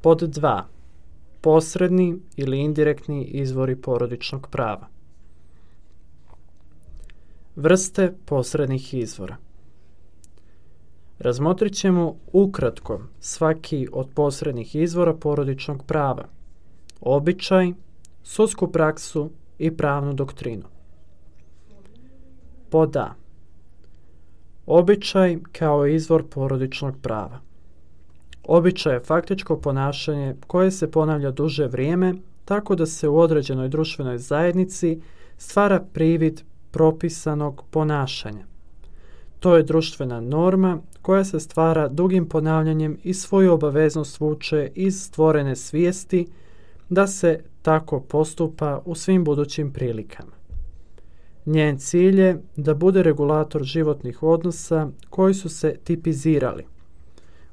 Pod 2. Posredni ili indirektni izvori porodičnog prava. Vrste posrednih izvora. Razmotrit ćemo ukratko svaki od posrednih izvora porodičnog prava, običaj, sudsku praksu i pravnu doktrinu. Pod A. Običaj kao izvor porodičnog prava. Običaj je faktičko ponašanje koje se ponavlja duže vrijeme, tako da se u određenoj društvenoj zajednici stvara privid propisanog ponašanja. To je društvena norma koja se stvara dugim ponavljanjem i svoju obaveznost vuče iz stvorene svijesti da se tako postupa u svim budućim prilikama. Njen cilj je da bude regulator životnih odnosa koji su se tipizirali.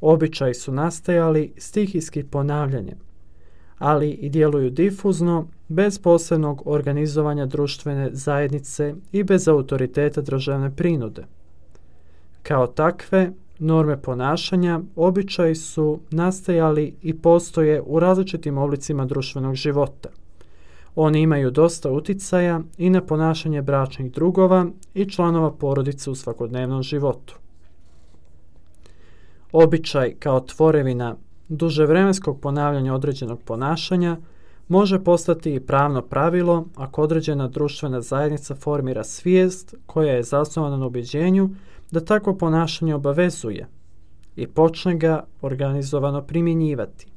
Običaji su nastajali stihijskim ponavljanjem, ali i djeluju difuzno, bez posebnog organizovanja društvene zajednice i bez autoriteta državne prinude. Kao takve, norme ponašanja, običaji su nastajali i postoje u različitim oblicima društvenog života. Oni imaju dosta uticaja i na ponašanje bračnih drugova i članova porodice u svakodnevnom životu. Običaj kao tvorevina duževremenskog ponavljanja određenog ponašanja može postati i pravno pravilo ako određena društvena zajednica formira svijest koja je zasnovana na ubjeđenju da takvo ponašanje obavezuje i počne ga organizovano primjenjivati.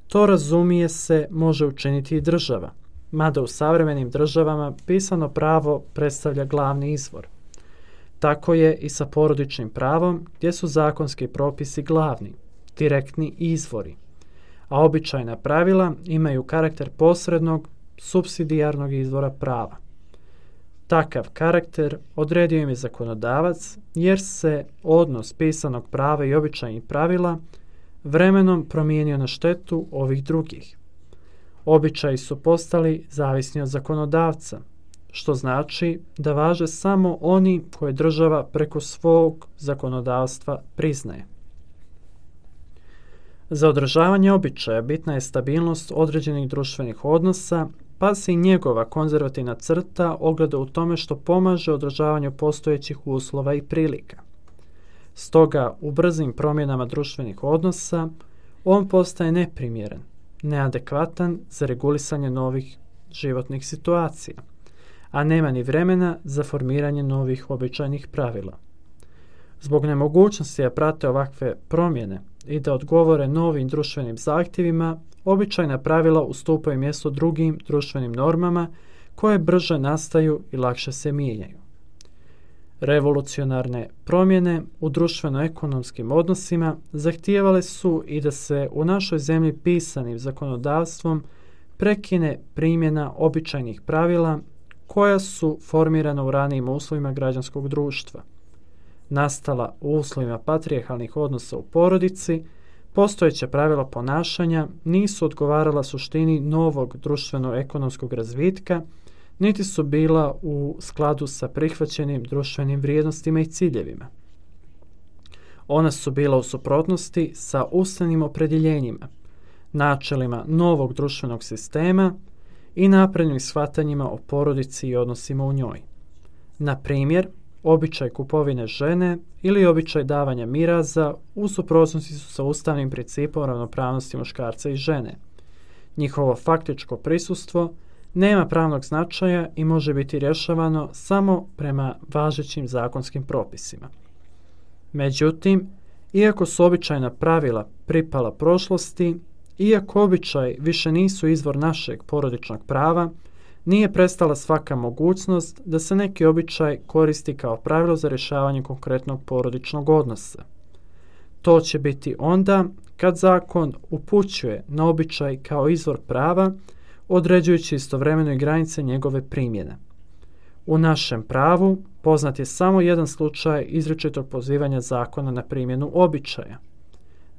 To, razumije se, može učiniti i država, mada u savremenim državama pisano pravo predstavlja glavni izvor. Tako je i sa porodičnim pravom, gdje su zakonski propisi glavni, direktni izvori, a običajna pravila imaju karakter posrednog, supsidijarnog izvora prava. Takav karakter odredio im je zakonodavac, jer se odnos pisanog prava i običajnih pravila vremenom promijenio na štetu ovih drugih. Običaji su postali zavisni od zakonodavca, što znači da važe samo oni koje država preko svog zakonodavstva priznaje. Za održavanje običaja bitna je stabilnost određenih društvenih odnosa, pa se i njegova konzervativna crta ogleda u tome što pomaže održavanju postojećih uslova i prilika. Stoga, u brzim promjenama društvenih odnosa, on postaje neprimjeren, neadekvatan za regulisanje novih životnih situacija, a nema ni vremena za formiranje novih običajnih pravila. Zbog nemogućnosti da prate ovakve promjene i da odgovore novim društvenim zahtjevima, običajna pravila ustupaju mjesto drugim društvenim normama koje brže nastaju i lakše se mijenjaju. Revolucionarne promjene u društveno-ekonomskim odnosima zahtijevale su i da se u našoj zemlji pisanim zakonodavstvom prekine primjena običajnih pravila koja su formirana u ranijim uslovima građanskog društva. Nastala u uslovima patrijarhalnih odnosa u porodici, postojeća pravila ponašanja nisu odgovarala suštini novog društveno-ekonomskog razvitka, niti su bila u skladu sa prihvaćenim društvenim vrijednostima i ciljevima. Ona su bila u suprotnosti sa ustavnim opredjeljenjima, načelima novog društvenog sistema i naprednim shvatanjima o porodici i odnosima u njoj. Na primjer, običaj kupovine žene ili običaj davanja miraza u suprotnosti su sa ustavnim principom ravnopravnosti muškarca i žene. Njihovo faktičko prisustvo nema pravnog značaja i može biti rješavano samo prema važećim zakonskim propisima. Međutim, iako su običajna pravila pripala prošlosti, iako običaj više nisu izvor našeg porodičnog prava, nije prestala svaka mogućnost da se neki običaj koristi kao pravilo za rješavanje konkretnog porodičnog odnosa. To će biti onda kad zakon upućuje na običaj kao izvor prava, određujući istovremeno i granice njegove primjene. U našem pravu poznat je samo jedan slučaj izričitog pozivanja zakona na primjenu običaja.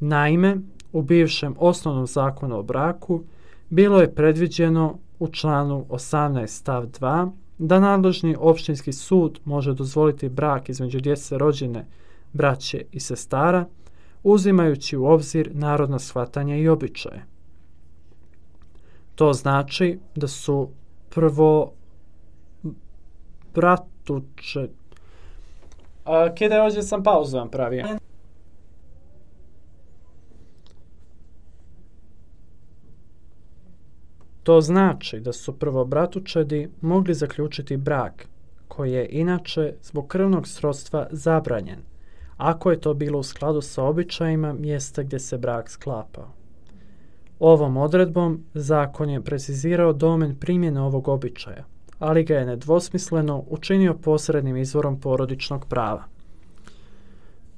Naime, u bivšem osnovnom zakonu o braku bilo je predviđeno u članu 18 stav 2 da nadležni općinski sud može dozvoliti brak između djece rođene braće i sestara uzimajući u obzir narodna shvatanja i običaje. To znači da su prvo bratuče... Kida, ovdje sam pauzu vam pravio. To znači da su prvobratučedi mogli zaključiti brak, koji je inače zbog krvnog srodstva zabranjen, ako je to bilo u skladu sa običajima mjesta gdje se brak sklapao. Ovom odredbom zakon je precizirao domen primjene ovog običaja, ali ga je nedvosmisleno učinio posrednim izvorom porodičnog prava.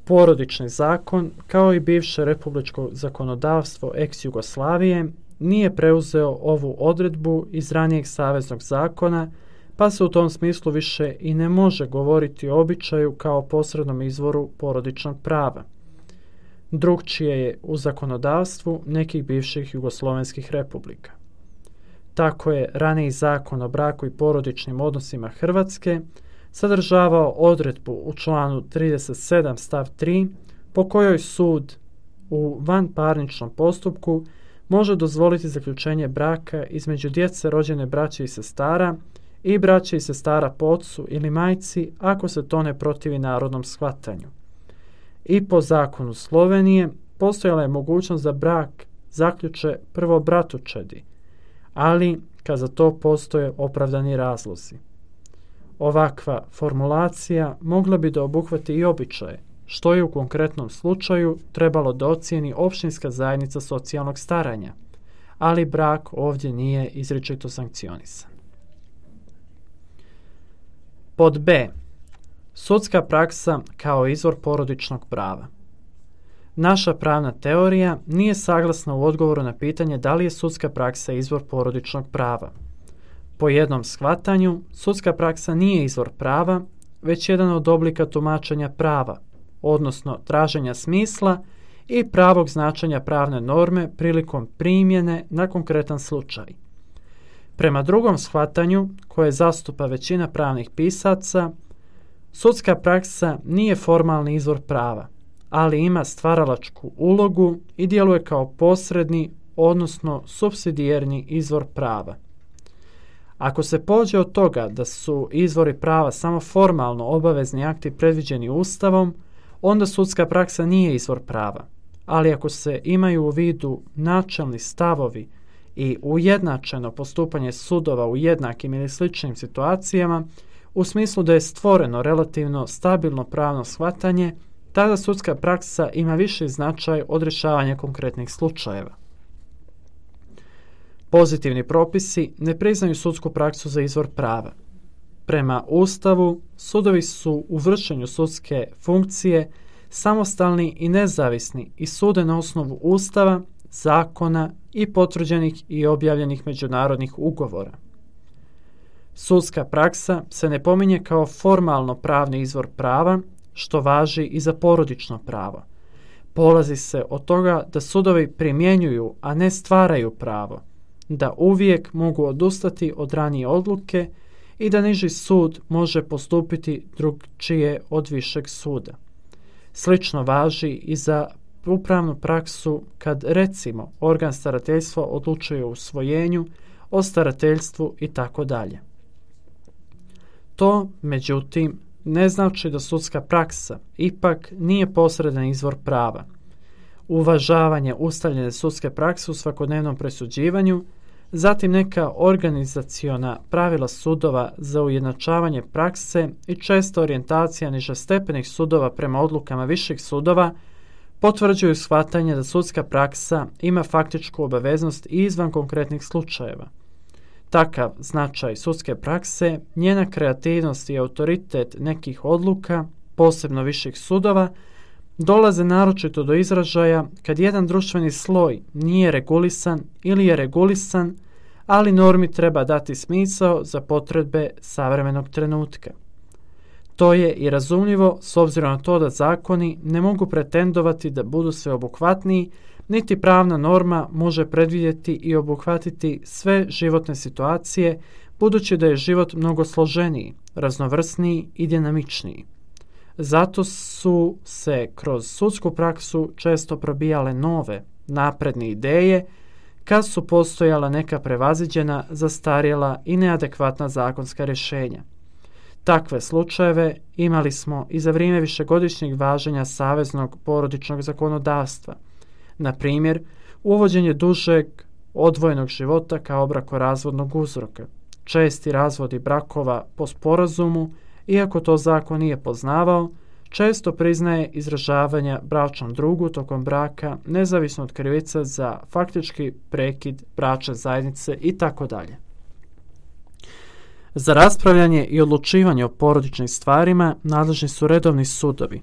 Porodični zakon, kao i bivše republičko zakonodavstvo ex-Jugoslavije, nije preuzeo ovu odredbu iz ranijeg saveznog zakona, pa se u tom smislu više i ne može govoriti o običaju kao posrednom izvoru porodičnog prava. Drukčije je u zakonodavstvu nekih bivših jugoslovenskih republika. Tako je raniji zakon o braku i porodičnim odnosima Hrvatske sadržavao odredbu u članu 37 stav 3 po kojoj sud u vanparničnom postupku može dozvoliti zaključenje braka između djece rođene braće i sestara i braće i sestara po ocu ili majci ako se to ne protivi narodnom shvatanju. I po zakonu Slovenije postojala je mogućnost da brak zaključe prvobratučedi, ali kad za to postoje opravdani razlozi. Ovakva formulacija mogla bi da obuhvati i običaje, što je u konkretnom slučaju trebalo da ocijeni opštinska zajednica socijalnog staranja, ali brak ovdje nije izričito sankcionisan. Pod B. Sudska praksa kao izvor porodičnog prava. Naša pravna teorija nije saglasna u odgovoru na pitanje da li je sudska praksa izvor porodičnog prava. Po jednom shvatanju, sudska praksa nije izvor prava, već jedan od oblika tumačenja prava, odnosno traženja smisla i pravog značenja pravne norme prilikom primjene na konkretan slučaj. Prema drugom shvatanju, koje zastupa većina pravnih pisaca, sudska praksa nije formalni izvor prava, ali ima stvaralačku ulogu i djeluje kao posredni, odnosno supsidijerni izvor prava. Ako se pođe od toga da su izvori prava samo formalno obavezni akti predviđeni Ustavom, onda sudska praksa nije izvor prava, ali ako se imaju u vidu načelni stavovi i ujednačeno postupanje sudova u jednakim ili sličnim situacijama, u smislu da je stvoreno relativno stabilno pravno shvatanje, tada sudska praksa ima viši značaj od rješavanja konkretnih slučajeva. Pozitivni propisi ne priznaju sudsku praksu za izvor prava. Prema Ustavu, sudovi su u vršenju sudske funkcije samostalni i nezavisni i sude na osnovu Ustava, zakona i potvrđenih i objavljenih međunarodnih ugovora. Sudska praksa se ne pominje kao formalno pravni izvor prava, što važi i za porodično pravo. Polazi se od toga da sudovi primjenjuju, a ne stvaraju pravo, da uvijek mogu odustati od ranije odluke i da niži sud može postupiti drugčije od višeg suda. Slično važi i za upravnu praksu kad, recimo, organ starateljstva odlučuje o usvojenju, o starateljstvu i tako dalje. To, međutim, ne znači da sudska praksa ipak nije posredan izvor prava. Uvažavanje ustaljene sudske prakse u svakodnevnom presuđivanju, zatim neka organizaciona pravila sudova za ujednačavanje prakse i česta orijentacija nižestepenih sudova prema odlukama viših sudova potvrđuju shvatanje da sudska praksa ima faktičku obaveznost i izvan konkretnih slučajeva. Takav značaj sudske prakse, njena kreativnost i autoritet nekih odluka, posebno viših sudova, dolaze naročito do izražaja kad jedan društveni sloj nije regulisan ili je regulisan, ali normi treba dati smisao za potrebe savremenog trenutka. To je i razumljivo s obzirom na to da zakoni ne mogu pretendovati da budu sveobuhvatniji, niti pravna norma može predvidjeti i obuhvatiti sve životne situacije, budući da je život mnogo složeniji, raznovrsniji i dinamičniji. Zato su se kroz sudsku praksu često probijale nove, napredne ideje, kad su postojala neka prevaziđena, zastarjela i neadekvatna zakonska rješenja. Takve slučajeve imali smo i za vrijeme višegodišnjeg važenja saveznog porodičnog zakonodavstva. Na primjer, uvođenje dužeg odvojenog života kao brakorazvodnog uzroka, česti razvodi brakova po sporazumu, iako to zakon nije poznavao, često priznaje izražavanja bračnom drugu tokom braka, nezavisno od krivice za faktički prekid bračne zajednice itd. Za raspravljanje i odlučivanje o porodičnim stvarima nadležni su redovni sudovi,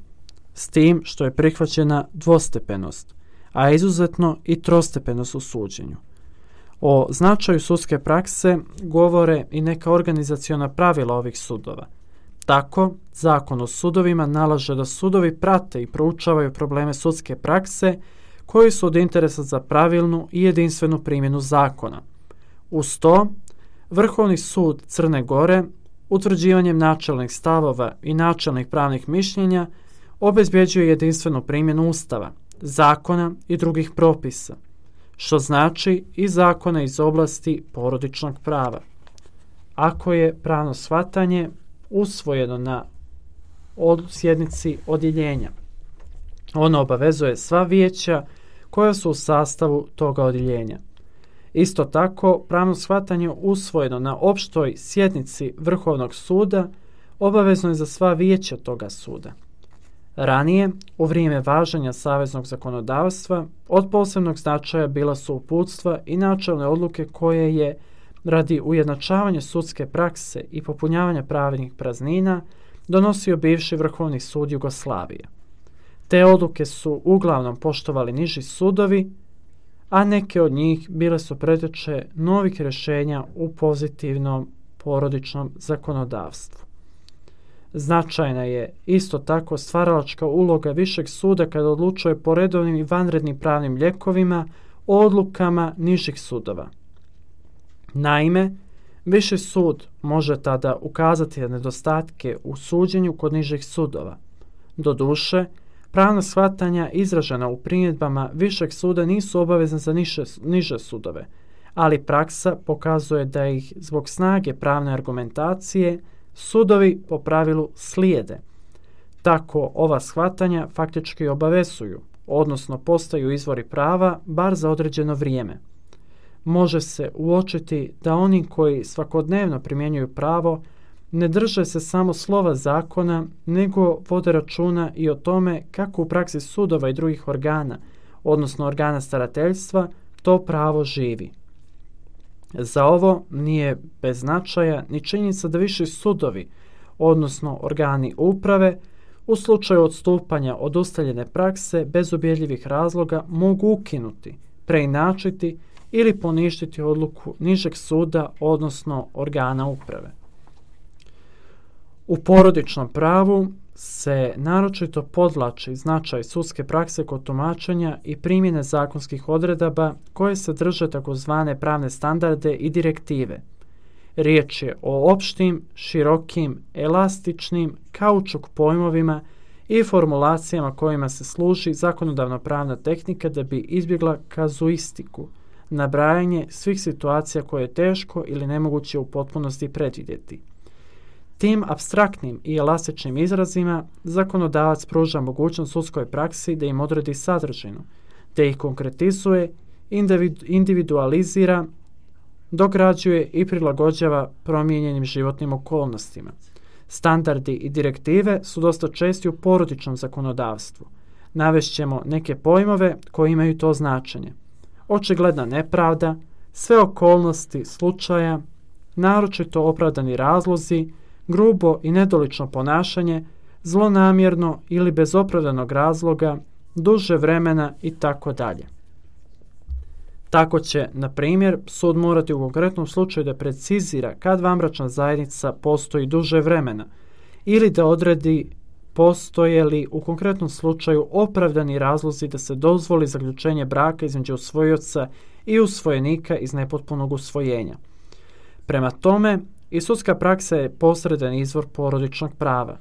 s tim što je prihvaćena dvostepenost, a izuzetno i trostepenost u suđenju. O značaju sudske prakse govore i neka organizaciona pravila ovih sudova. Tako, Zakon o sudovima nalaže da sudovi prate i proučavaju probleme sudske prakse koji su od interesa za pravilnu i jedinstvenu primjenu zakona. Uz to, Vrhovni sud Crne Gore utvrđivanjem načelnih stavova i načelnih pravnih mišljenja obezbjeđuje jedinstvenu primjenu Ustava, zakona i drugih propisa, što znači i zakona iz oblasti porodičnog prava. Ako je pravno shvatanje usvojeno na sjednici odjeljenja, ono obavezuje sva vijeća koja su u sastavu toga odjeljenja. Isto tako, pravno shvatanje usvojeno na opštoj sjednici Vrhovnog suda obavezno je za sva vijeća toga suda. Ranije, u vrijeme važenja saveznog zakonodavstva, od posebnog značaja bila su uputstva i načelne odluke koje je, radi ujednačavanja sudske prakse i popunjavanja pravnih praznina, donosio bivši Vrhovni sud Jugoslavije. Te odluke su uglavnom poštovali niži sudovi, a neke od njih bile su preteče novih rješenja u pozitivnom porodičnom zakonodavstvu. Značajna je isto tako stvaralačka uloga višeg suda kada odlučuje po redovnim i vanrednim pravnim lijekovima o odlukama nižih sudova. Naime, viši sud može tada ukazati na nedostatke u suđenju kod nižih sudova. Doduše, pravna shvatanja izražena u primjedbama višeg suda nisu obavezne za niže sudove, ali praksa pokazuje da ih zbog snage pravne argumentacije sudovi po pravilu slijede. Tako ova shvatanja faktički obavezuju, odnosno postaju izvori prava bar za određeno vrijeme. Može se uočiti da oni koji svakodnevno primjenjuju pravo ne drže se samo slova zakona, nego vode računa i o tome kako u praksi sudova i drugih organa, odnosno organa starateljstva, to pravo živi. Za ovo nije bez značaja ni činjenica da viši sudovi, odnosno organi uprave, u slučaju odstupanja od ustaljene prakse bez ubjedljivih razloga mogu ukinuti, preinačiti ili poništiti odluku nižeg suda, odnosno organa uprave. U porodičnom pravu se naročito podvlači značaj sudske prakse kod tumačenja i primjene zakonskih odredaba koje sadrže takozvane pravne standarde i direktive. Riječ je o opštim, širokim, elastičnim, kaučuk pojmovima i formulacijama kojima se služi zakonodavno-pravna tehnika da bi izbjegla kazuistiku, nabrajanje svih situacija koje je teško ili nemoguće u potpunosti predvidjeti. Tim apstraktnim i elastičnim izrazima zakonodavac pruža mogućnost sudskoj praksi da im odredi sadržinu, da ih konkretizuje, individualizira, dograđuje i prilagođava promijenjenim životnim okolnostima. Standardi i direktive su dosta česti u porodičnom zakonodavstvu. Navešćemo neke pojmove koji imaju to značenje. Očigledna nepravda, sve okolnosti slučaja, naročito opravdani razlozi, grubo i nedolično ponašanje, zlonamjerno ili bez opravdanog razloga, duže vremena itd. Tako će, na primjer, sud morati u konkretnom slučaju da precizira kad vanbračna zajednica postoji duže vremena ili da odredi postoje li u konkretnom slučaju opravdani razlozi da se dozvoli zaključenje braka između usvojioca i usvojenika iz nepotpunog usvojenja. Prema tome, i sudska praksa je posredan izvor porodičnog prava.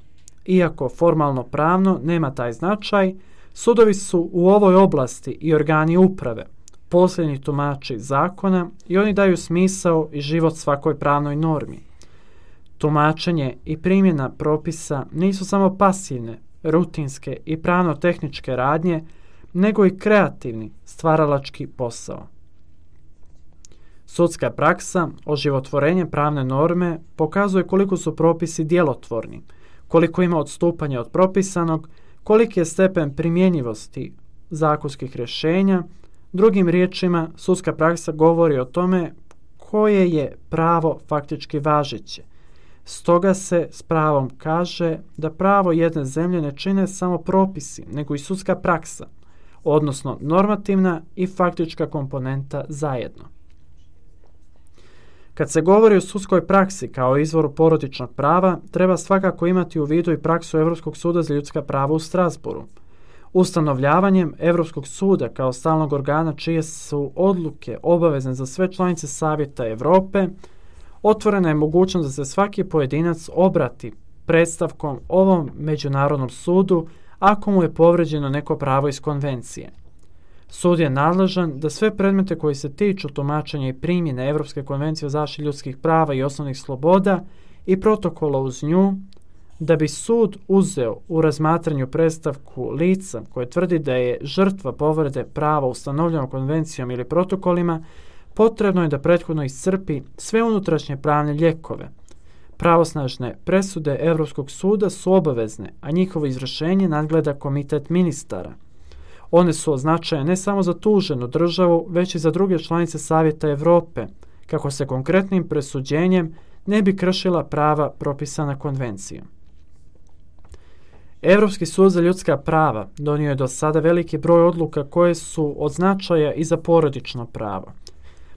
iako formalno pravno nema taj značaj, sudovi su u ovoj oblasti i organi uprave, posljednji tumači zakona i oni daju smisao i život svakoj pravnoj normi. Tumačenje i primjena propisa nisu samo pasivne, rutinske i pravno-tehničke radnje, nego i kreativni, stvaralački posao. Sudska praksa, oživotvorenje pravne norme, pokazuje koliko su propisi djelotvorni, koliko ima odstupanja od propisanog, koliki je stepen primjenjivosti zakonskih rješenja. Drugim riječima, sudska praksa govori o tome koje je pravo faktički važeće. Stoga se s pravom kaže da pravo jedne zemlje ne čine samo propisi, nego i sudska praksa, odnosno normativna i faktička komponenta zajedno. Kad se govori o sudskoj praksi kao izvoru porodičnog prava, treba svakako imati u vidu i praksu Europskog suda za ljudska prava u Strasbourgu. Ustanovljavanjem Europskog suda kao stalnog organa čije su odluke obavezne za sve članice Savjeta Europe, otvorena je mogućnost da se svaki pojedinac obrati predstavkom ovom međunarodnom sudu ako mu je povrijeđeno neko pravo iz konvencije. Sud je nadležan da sve predmete koji se tiču tumačenja i primjene Europske konvencije o zaštiti ljudskih prava i osnovnih sloboda i protokola uz nju, da bi sud uzeo u razmatranju predstavku lica koje tvrdi da je žrtva povrede prava ustanovljeno konvencijom ili protokolima, potrebno je da prethodno iscrpi sve unutrašnje pravne lijekove. Pravosnažne presude Europskog suda su obavezne, a njihovo izvršenje nadgleda komitet ministara. One su označene ne samo za tuženu državu, već i za druge članice Savjeta Europe, kako se konkretnim presuđenjem ne bi kršila prava propisana konvencijom. Europski sud za ljudska prava donio je do sada veliki broj odluka koje su od značaja i za porodično pravo,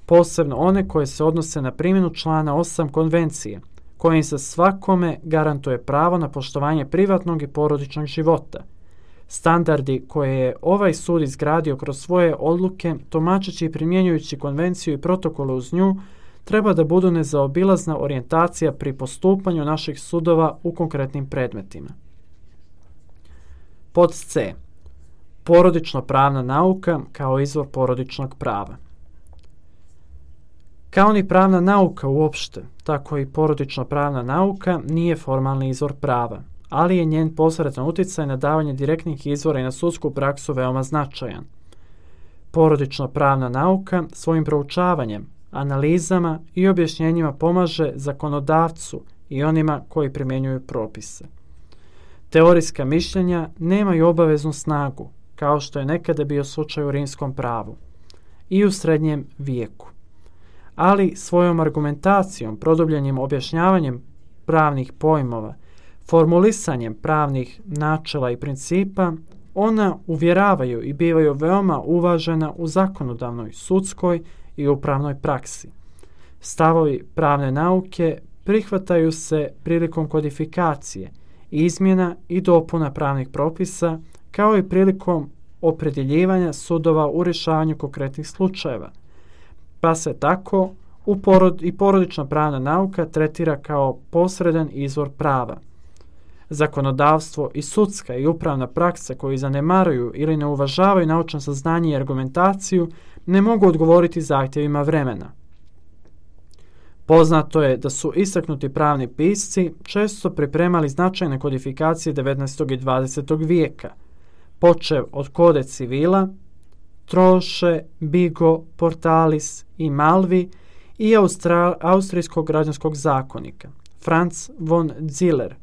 posebno one koje se odnose na primjenu člana 8 konvencije, kojim se svakome garantuje pravo na poštovanje privatnog i porodičnog života. Standardi koje je ovaj sud izgradio kroz svoje odluke, tumačeći i primjenjujući konvenciju i protokole uz nju, treba da budu nezaobilazna orijentacija pri postupanju naših sudova u konkretnim predmetima. Pod C. Porodično-pravna nauka kao izvor porodičnog prava. Kao ni pravna nauka uopšte, tako i porodično-pravna nauka nije formalni izvor prava, ali je njen posredan utjecaj na davanje direktnih izvora i na sudsku praksu veoma značajan. Porodično-pravna nauka svojim proučavanjem, analizama i objašnjenjima pomaže zakonodavcu i onima koji primjenjuju propise. Teorijska mišljenja nemaju obaveznu snagu, kao što je nekada bio slučaj u rimskom pravu i u srednjem vijeku. Ali svojom argumentacijom, produbljenim objašnjavanjem pravnih pojmova, formulisanjem pravnih načela i principa, ona uvjeravaju i bivaju veoma uvažena u zakonodavnoj, sudskoj i upravnoj praksi. Stavovi pravne nauke prihvataju se prilikom kodifikacije, izmjena i dopuna pravnih propisa, kao i prilikom opredjeljivanja sudova u rješavanju konkretnih slučajeva, pa se tako i porodična pravna nauka tretira kao posredan izvor prava. Zakonodavstvo i sudska i upravna praksa koji zanemaruju ili ne uvažavaju naučno saznanje i argumentaciju ne mogu odgovoriti zahtjevima vremena. Poznato je da su istaknuti pravni pisci često pripremali značajne kodifikacije 19. i 20. vijeka, počev od Kode civila, Troše, Bigo, Portalis i Malvi i Austrijskog građanskog zakonika, Franz von Ziller,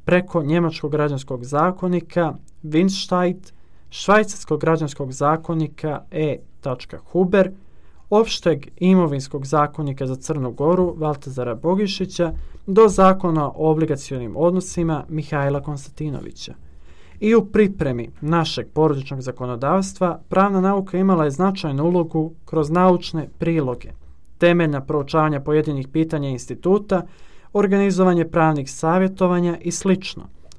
preko njemačkog građanskog zakonika, Winstein, švajcarskog građanskog zakonika E. Huber, opšteg imovinskog zakonika za Crnu Goru Valtazara Bogišića do zakona o obligacionim odnosima Mihajla Konstantinovića. I u pripremi našeg porodičnog zakonodavstva pravna nauka imala je značajnu ulogu kroz naučne priloge, temeljna proučavanja pojedinih pitanja instituta, organizovanje pravnih savjetovanja i sl.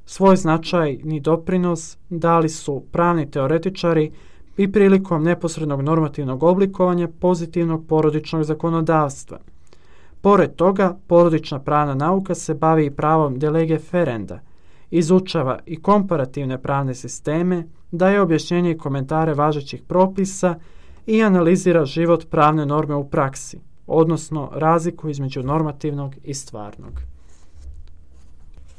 Svoj značajni doprinos dali su pravni teoretičari i prilikom neposrednog normativnog oblikovanja pozitivnog porodičnog zakonodavstva. Pored toga, porodična pravna nauka se bavi i pravom de lege ferenda izučava i komparativne pravne sisteme, daje objašnjenje i komentare važećih propisa i analizira život pravne norme u praksi, odnosno razliku između normativnog i stvarnog.